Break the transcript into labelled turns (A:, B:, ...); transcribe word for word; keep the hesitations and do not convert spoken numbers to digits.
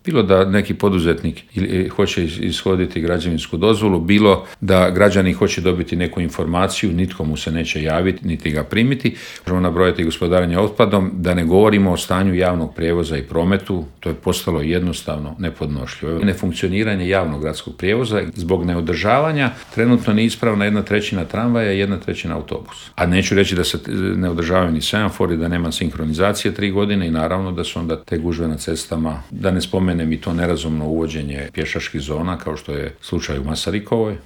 A: Bilo da neki poduzetnik ili hoće ishoditi građevinsku dozvolu, bilo da građani hoće dobiti neku informaciju, nitko mu se neće javiti, niti ga primiti. Možemo nabrojati gospodarenje otpadom, da ne govorimo o stanju javnog prijevoza i prometu, to je postalo jednostavno nepodnošljivo. Nefunkcioniranje javnog gradskog prijevoza zbog neodržavanja trenutno neispravna jedna trećina tramvaja i jedna trećina autobusa. A neću reći da se ne održavaju ni semafori, da nema sinhronizacije tri godine i naravno da su onda te gužve na cestama, da ne spomenem i to nerazumno uvođenje pješačkih zona kao što je slučaj u Masarikovoj.